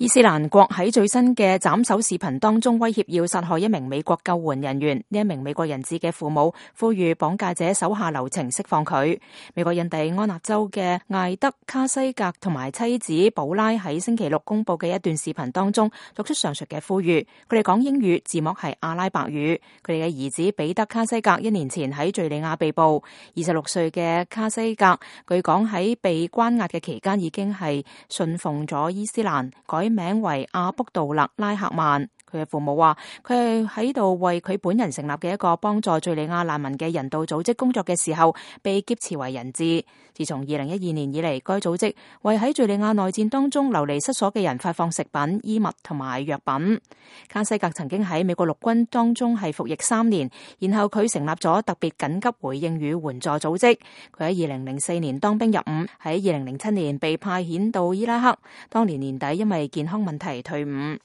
伊斯蘭國喺最新嘅斬首視頻當中威脅要殺害一名美國救援人員，呢一名美國人質嘅父母呼籲綁架者手下留情釋放佢。美國印第安納州嘅艾德卡西格同埋妻子保拉喺星期六公布嘅一段視頻當中作出上述嘅呼籲，佢哋講英語，字幕係阿拉伯語。佢哋嘅兒子彼得卡西格1年前喺敘利亞被捕，26歲嘅卡西格據講喺被關押嘅期間已經係信奉咗伊斯蘭，改名為阿卜杜勒拉赫曼。佢嘅父母話，佢係喺度為佢本人成立嘅一個幫助敘利亞難民嘅人道組織工作嘅時候，被劫持為人質。自從2012年以嚟，該組織為喺敘利亞內戰當中流離失所嘅人發放食品、衣物同埋藥品。卡西格曾經喺美國陸軍當中係服役3年，然後佢成立咗特別緊急回應與援助組織。佢喺2004年當兵入伍，喺2007年被派遣到伊拉克，當年年底因為健康問題退伍。